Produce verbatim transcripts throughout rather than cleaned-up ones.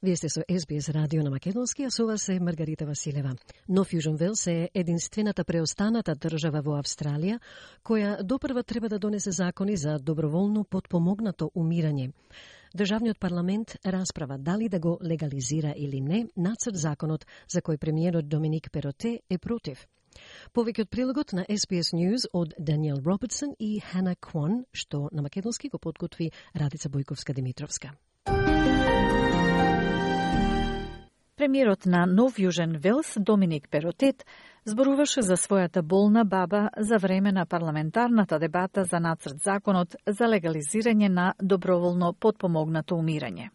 Вие сте со Ес Би Ес радио на македонски, а со вас е Маргарита Василева. Нов Јужен Велс е единствената преостаната држава во Австралија која допрва треба да донесе закони за доброволно потпомогнато умирање. Државниот парламент расправа дали да го легализира или не нацрт законот за кој премиерот Доминик Перотте е против. Повеќе од прилогот на Ес Би Ес News од Даниел Робертсон и Хана Квон, што на македонски го подготви Радица Бојковска-Димитровска. Премиерот на Нов Јужен Велс, Доминик Перотте, зборуваше за својата болна баба за време на парламентарната дебата за нацрт законот за легализирање на доброволно потпомогнато умирање.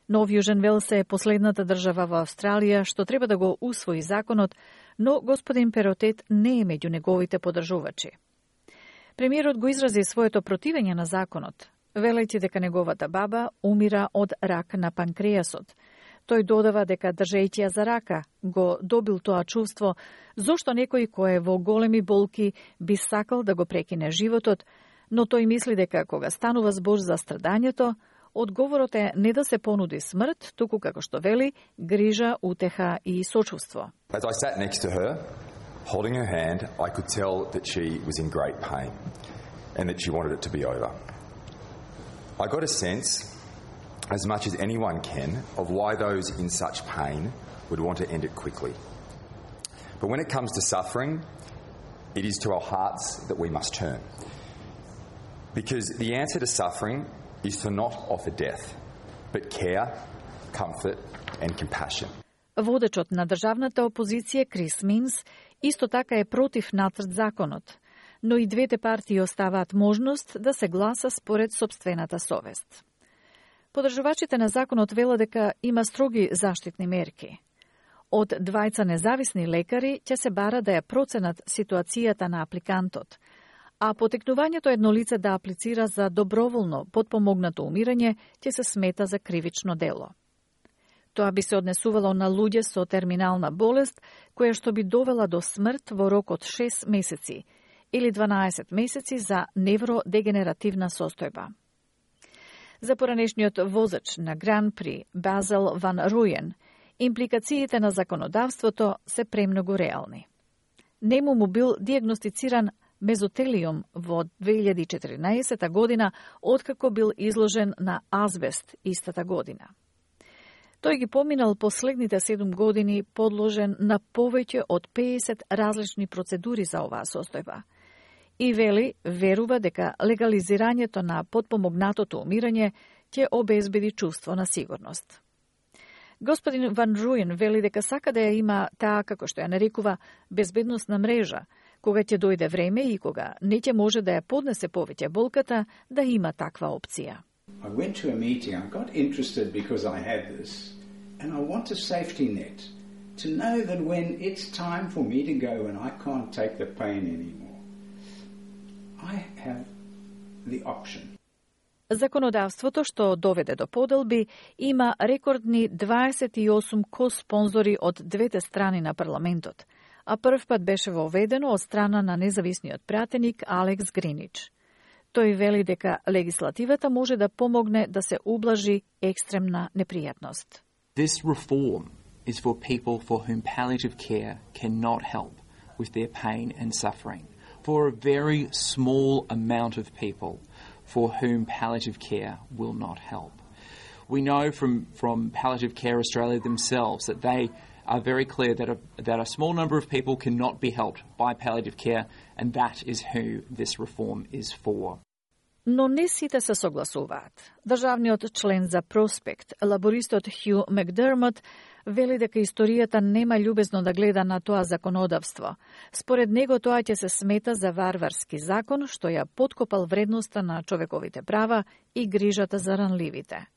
Нов Јужен Велс е последната држава во Австралија што треба да го усвои законот, но господин Перотте не е меѓу неговите поддржувачи. Премиерот го изрази своето противење на законот, велејќи дека неговата баба умира од рак на панкреасот. Тој додава дека држејќи ја за рака го добил тоа чувство зошто некој кој е во големи болки би сакал да го прекине животот, но тој мисли дека кога станува збор за страдањето, одговорот е не да се понуди смрт, туку како што вели, грижа, утеха и сочувство. As I sat next to her, holding her hand, I could tell that she was in great pain and that she wanted it to be over. I got a sense, as much as anyone can, of why those in such pain would want to end it quickly. But when it comes to suffering, it is to our hearts that we must turn. Because the answer to suffering is to not offer death, but care, comfort and compassion. Водечот на државната опозиција Крис Минс исто така е против нацрт законот, но и двете партии оставаат можност да се гласа според сопствената совест. Поддржувачите на законот велат дека има строги заштитни мерки. Од двајца независни лекари ќе се бара да ја проценат ситуацијата на апликантот, а потекнувањето едно лице да аплицира за доброволно потпомогнато умирање ќе се смета за кривично дело. Тоа би се однесувало на луѓе со терминална болест, која што би довела до смрт во рок од шест месеци или дванаесет месеци за невродегенеративна состојба. За поранешниот возач на Гран При Базел Ван Рујен, импликациите на законодавството се премногу реални. Нему му бил диагностициран мезотелиум во две илјади и четиринаесета година, откако бил изложен на азбест истата година. Тој ги поминал последните седум години подложен на повеќе од педесет различни процедури за оваа состојба. И вели, верува дека легализирањето на потпомогнатото умирање ќе обезбеди чувство на сигурност. Господин Ван Рујен вели дека сака да ја има таа, како што ја нарекува, безбедносна мрежа, кога ќе дојде време и кога не ќе може да ја поднесе повеќе болката, да има таква опција. I went to a meeting, I got interested because I had this, and I want a safety net to know that when it's time for me to go and I can't take the pain anymore, I have the option. Законодавството што доведе до поделби има рекордни дваесет и осум ко-спонзори од двете страни на парламентот, а прв пат беше воведено од страна на независниот пратеник Алекс Гринич. Тој вели дека легислативата може да помогне да се ублажи екстремна непријатност. This reform is for people for whom palliative care cannot help with their pain and suffering. For a very small amount of people for whom palliative care will not help. We know from, from Palliative Care Australia themselves that they are very clear that a, that a small number of people cannot be helped by palliative care, and that is who this reform is for. Но не сите се согласуваат. Државниот член за Проспект, лабористот Хју Макдермот, вели дека историјата нема љубезно да гледа на тоа законодавство. Според него тоа ќе се смета за варварски закон што ја поткопал вредноста на човековите права и грижата за ранливите.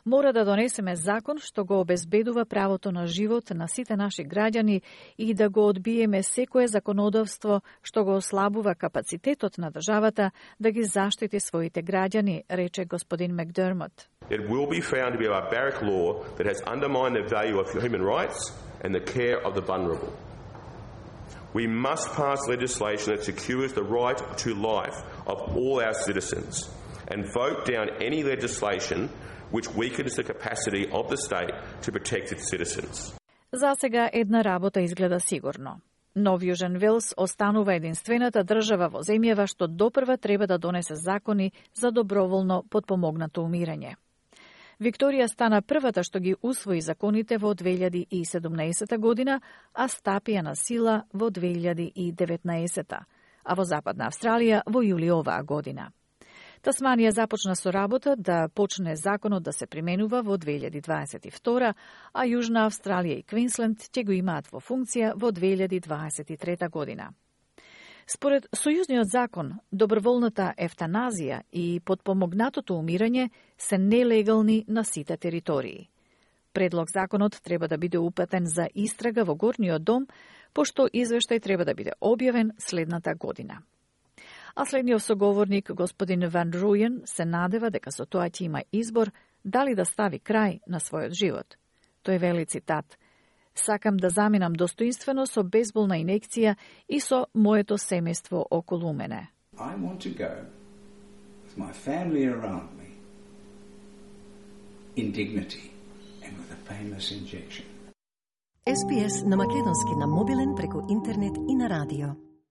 Мора да донесеме закон што го обезбедува правото на живот на сите наши граѓани и да го одбиеме секое законодавство што го ослабува капацитетот на државата да ги заштити своите граѓани, рече господин Макдермот. It will be found to be a barbaric law that has undermined the value of human rights and the care of the vulnerable. We must pass legislation that secures the right to life of all our citizens and vote down any legislation which weakens the capacity of the state to protect its citizens. За сега една работа изгледа сигурно. Нов Јужен Велс останува единствената држава во земјава што допрва треба да донесе закони за доброволно потпомогнато умирање. Викторија стана првата што ги усвои законите во две илјади и седумнаесета година, а стапија на сила во две илјади и деветнаесета, а во Западна Австралија во јули оваа година. Тасманија започна со работа да почне законот да се применува во две илјади дваесет и втора, а Јужна Австралија и Квинсленд ќе го имаат во функција во две илјади дваесет и трета година. Според Сојузниот закон, доброволната ефтаназија и потпомогнатото умирање се нелегални на сите територии. Предлог законот треба да биде упатен за истрага во Горниот дом, пошто извештај треба да биде објавен следната година. А следниот соговорник, господин Ван Рујен, се надева дека со тоа ќе има избор дали да стави крај на својот живот. Тој вели, цитат: "Сакам да заминам достоинствено со безболна инекција и со моето семејство околу мене." I want to go with my family around me in dignity and with a painless injection. Ес Би Ес на македонски на мобилен преку интернет и на радио.